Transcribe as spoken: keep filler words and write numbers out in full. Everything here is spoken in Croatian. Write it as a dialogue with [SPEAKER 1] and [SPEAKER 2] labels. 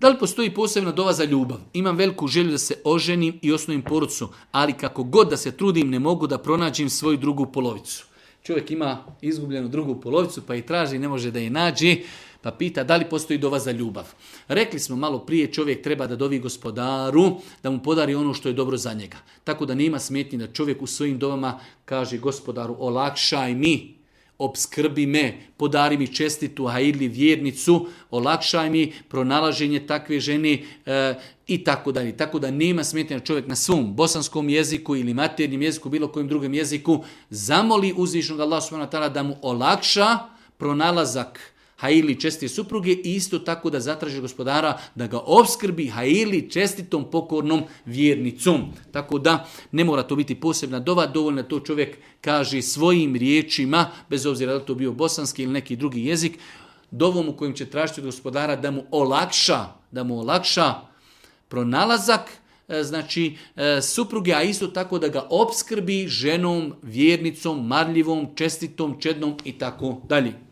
[SPEAKER 1] Da li postoji posebna dova za ljubav? Imam veliku želju da se oženim i osnovim porodicu, ali kako god da se trudim ne mogu da pronađem svoju drugu polovicu. Čovjek ima izgubljenu drugu polovicu pa i traži, ne može da je nađe, pa pita da li postoji dova za ljubav. Rekli smo malo prije, čovjek treba da dovi gospodaru, da mu podari ono što je dobro za njega. Tako da nema smetnje da čovjek u svojim dovama kaže gospodaru olakšaj mi, opskrbi me, podari mi čestitu, hajirli vjernicu, olakšaj mi pronalaženje takve žene e, i tako dalje. Tako da nema smetnje da čovjek na svom bosanskom jeziku ili maternjem jeziku, bilo kojem drugom jeziku, zamoli uzvišnog Allah subhanahu wa ta'ala da mu olakša pronalazak hajili čestite supruge i isto tako da zatraži gospodara da ga opskrbi hajili čestitom pokornom vjernicom. Tako da ne mora to biti posebna dova, dovoljno to čovjek kaže svojim riječima, bez obzira da li to bio bosanski ili neki drugi jezik, dovom u kojem će tražiti od gospodara da mu olakša, da mu olakša pronalazak, znači supruge, a isto tako da ga opskrbi ženom, vjernicom, marljivom, čestitom, čednom i tako dalje.